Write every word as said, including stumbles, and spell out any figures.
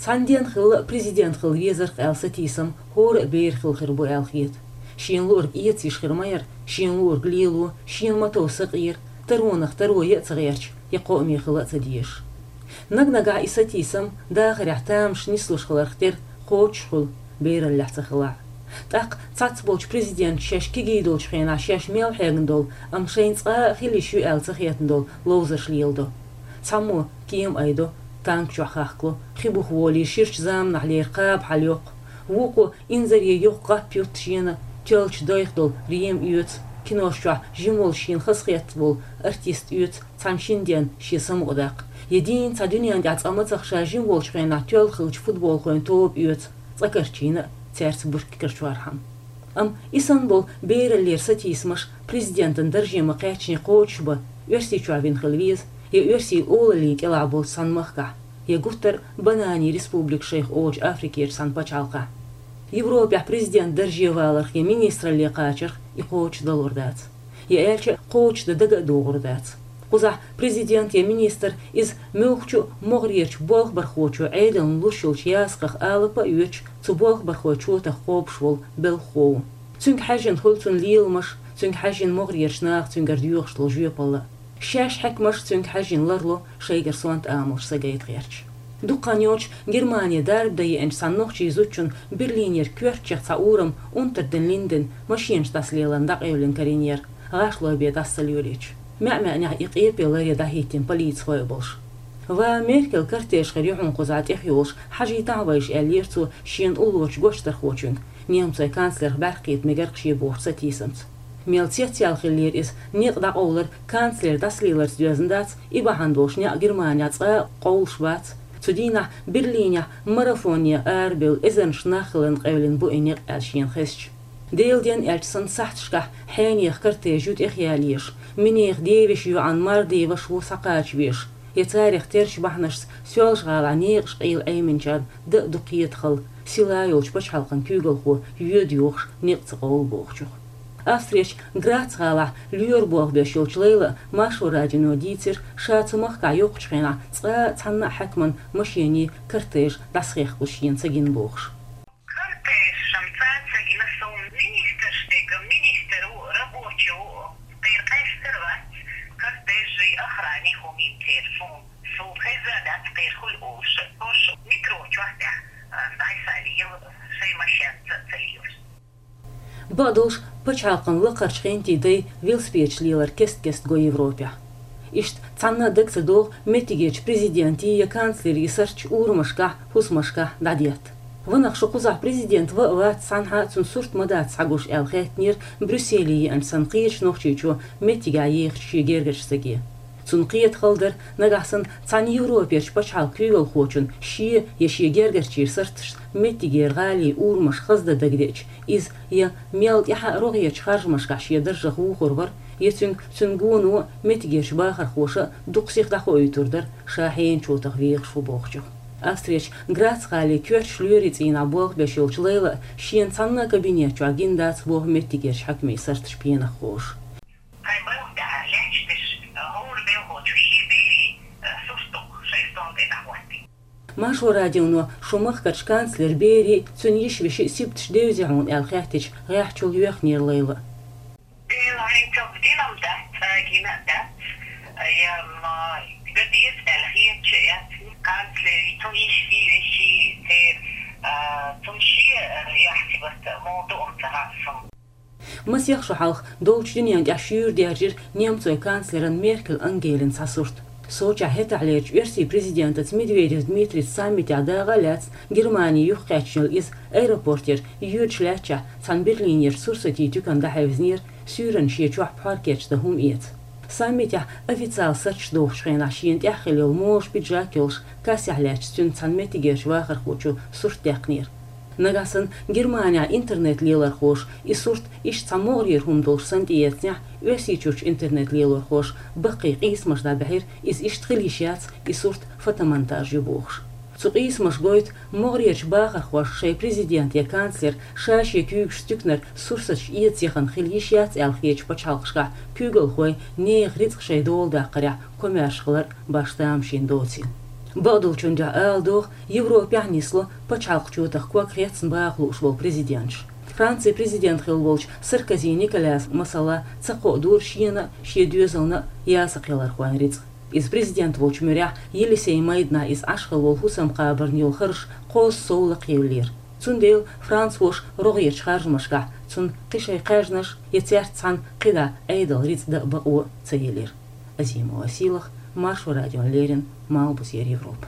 Цхьан ден хилла президент хила везарх аьлла сатийсам хӀора а бер хила хир бу аьлла хета. Шена луург эца йиш хир ма яра, шена луург лело, шена ма тов сакъера, таронах таро я а ца гӀерташ, я кхоъ мехала а ца дезаш. Наг-нагахь и сатийсам дахарехь тамаш нислуш хиларх тера кхочуш хуьлу, бераллехь ца хилахь. ТӀаккха цхьацболчу президенташа шаьш кегий долчу хенахь шаьш мел хьегна долу, амма шайна цкъа а хила йиш ю аьлла ца хетна долу ловзарш леладо. Цхьаммо кема айдо, танк чохь хахкало, хи буха волий, ширачу заманахь лерина кхаба хьал йоккху, вукхо инзаре йоккха гӀап ютта шена тоьллачу дайх долу рема оьцу, кинош чохь жима волу шена хазахетта волу артист оьцу цхьана шина денна шен самукъадаккха, я дийна цхьа дуьненна тӀехь цкъа мацах ша жима волчу хенахь тоьлла хиллачу футболхойн тоба оьцу, цкъа карчийна а цаьрца буьркиг карчорхьама. Амма и санна болу бераллера сатийсамаш президентан дарже ма-кхаьччине кхочуш бан, Оьрсийчохь вина хила веза, я оьрсийн олаллин кӀелахь болчу цхьана махкахь, я гуттар а бананийн республика шайх олучу Африкерчу цхьана пачхьалкхехь. Европехь президент дарже валарх я министралле кхачарх и кхочуш далур дац. Я аьлча, кхочушдан дага а догӀур дац. Кхузахь президент я министр иза муьлххачу могӀарерчу болхбархочо Ӏедална луш йолчу ясакхах алапа а оьцуш, цу болхбархойн чотах кхобуш волу белхахо ву. Цуьнга хьаьжжина хуьлу цуьнан леламаш, цуьнга хьаьжжина могӀарерчу наха цуьнгара доьхуш долу жоьпалла. Шаьш хьаькамаш цуьнга хьаьжжина ларло, шайгара сонта амалш сагайта гӀерташ. Дукха хан йоцуш Германе дарба дан еанчу цхьана нохчийн зудчунна Берлинера коьртачех цхьа урам Унтерден Линден машенаш дӀасалеларна дӀакъевлина карийнера, гӀашлой бен дӀасалоьлийча. МаьӀ-маьӀнехь и къепе ларъян дӀахӀиттина полицихой а болуш. «Ва Меркел, кортеж хир ю хьуна кхузахь тӀехйолуш, хьажийтахьа вайша», — аьллера цо шена уллорчу гочдархочуьнга, немцойн канцлерх бӀаьркхета мегарх шен бохучу сатийсамца. Мел цецъяьлла хиллера иза, некъ дӀакъовлар канцлер дӀасалеларца доьзна дац, и бахьана долуш некъ Германехь цкъа а къовлуш бац. Цу дийнахь Берлинехь марафоне арабевлла эзарнаш нах хиларна къевлина бу и некъ аьлла шена хезча. Делан денна аьлча санна сахьташкахь хьенехан кортеж ю тӀехъяла езаш, минехан девешан йоӀана Мальдиваш ву схьакхача везаш, я царах терчу бахьанашца Соьлжа-ГӀалахь некъаш къийла Ӏеминчарна дан а ду кхетахалла, сила йолчу пачхьалкхан куьйгалхо йоьду йохуш некъ ца къовлу бохучух. Австрерчу Грац-гӀалахь лоьра болх беш йолчу Лайлас Маршо радионо дийцира, ша цу махкахь йоккхучу хенахь цкъа а цхьанна а хьаькаман машенийн кортеж дӀасахехкалуш шена ца гина бохуш. Кортеж-м цкъа а ца гина суна, министрш дерг, министр ву, рабочий ву, кхера къаьстар вац, кортежий, охрани хӀума йина церан суна. Суна хезна дац кхера хуьлу олуш, хӀорш метро чохь тӀехь, а, дӀасалийла, шайн машенца а ца лелаш. Бакъдолуш, пачхьалкхан лакхарчу хентий дай велосипедаш лелар кест-кеста го Европехь. Иштта цхьанна а дага ца догӀу меттигерчу президентийн я канцлерийн сурташ урамашкахь, хӀусамашкахь дӀадетта. Ванах шу кхузахь президент ва а вац, цхьанхьа а цуьнан сурт ма дац схьагуш аьлла хаьттинера Брюсселе еанчу санна кхечу нохчийчо меттигехь ехачу шен гергарчу стаге. Цунна кхетахалла дара, нагахь санна цхьана Европерчу пачхьалкхан куьйгалхочунна шен я шен гергарчийн сурташца меттигера гӀалин урамаш хаздан дагадеача, иза я мел тӀаьхьа а рогӀерчу харжамашкахь шен даржах вухур вара, я цуьнга цуьнан гоно а, меттигерчу бахархоша а дукха сиха дӀахоуьйтур дара, ша хьенан чотах вехаш ву бохучух. Австрерчу Грац-гӀалин коьртачу лоьрийн цӀийнахь болх беш йолчу Лайлас шена цхьанна а кабинет чохь гина дац боху меттигерчу хьаькамийн сурташ пенах ховш. Кхайн балха тӀехь лаьтташ дерш, хӀора белхочо шен берийн, э, сурт ду-кх шайн стол тӀе дӀахӀоттийна. Маршо радионо шу махкарчу канцлеран берийн, цуьнан йиша-вешин сибаташ девзий хьуна аьлла хаьттича, гӀеххьачул йоьхнера Лайла. Дела хӀинца дина-м дац, цкъа а гина а дац, я, м, дан деза аьлла хеташ а яц, канцлерийн, цуьнан йишин, вешин, церан, а, цунна шен, а, яхь сибат муха ду-м ца хаьа суна. Масех шо хьалха долчу дуьнен тӀехь шуьйра даьржира немцойн канцлеран Меркель Ангелин цхьа сурт. Сочехь хӀетахьлерчу оьрсийн президентаца Медведев Дмитрийца саммитехь дакъа а лаьцна, Германи юхакхаьчна йолу иза аэропортера йоьдуш лаьттачехь, цхьана берлинерчу сурсатийн туькана дӀахьевзинера, суьйранна шен чохь пхьор кечдан хӀума эца. Саммитехь официалан сурташ дохучу хенахь шена тӀехь хилла йолу можа пиджак йолуш, кассехь лаьттачу цуьнца цхьана меттигерчу вахархочо сурт даьккхинера. Нагахь санна Германехь интернет-лелорхоша и сурт иштта цхьа могӀарера хӀума долуш санна тӀеэцнехь, Оьрсийчуьрчу интернет-лелорхоша баккхий къийсамаш дӀабаьхьира, иза иштта хила йиш яц, и сурт фотомонтаж ю бохуш. Цу къийсамаша гойту, могӀарерчу бахархоша шайн президент я канцлер ша шен куьйгашца туьканара сурсаташ эца яхана хила йиш яц аьлла хетачу пачхьалкхашкахь куьйгалхой нехан рицкъ шайн дола даккхарехь комаьрша хилар башха тамашийна доцийла. Бакъдолчун дуьхьа ала догӀу, Европехь нисло пачхьалкхачу тӀехь ког хецна баха лууш волу президенташ. Францин президент хилла волчу Саркози Николяс, масала, ца кхоадора шена а, шен доьзална а ясакхелархойн рицкъ. Иза президент волчу муьрехь Елисей майданахь иза Ӏаш хилла волу хӀусам кхабарна йолу хӀорш кхозза сов лакхъевллера. Цундела францоша рогӀерчу харжамашкахь цунна кхин шайн кхаьжнаш я цаьрца цхьаьна кхидӀа Ӏедалан рицкъ дан бакъо ца елира. Азимова Сийлаха, Маршо радиона леррина, Малхбузера Европа.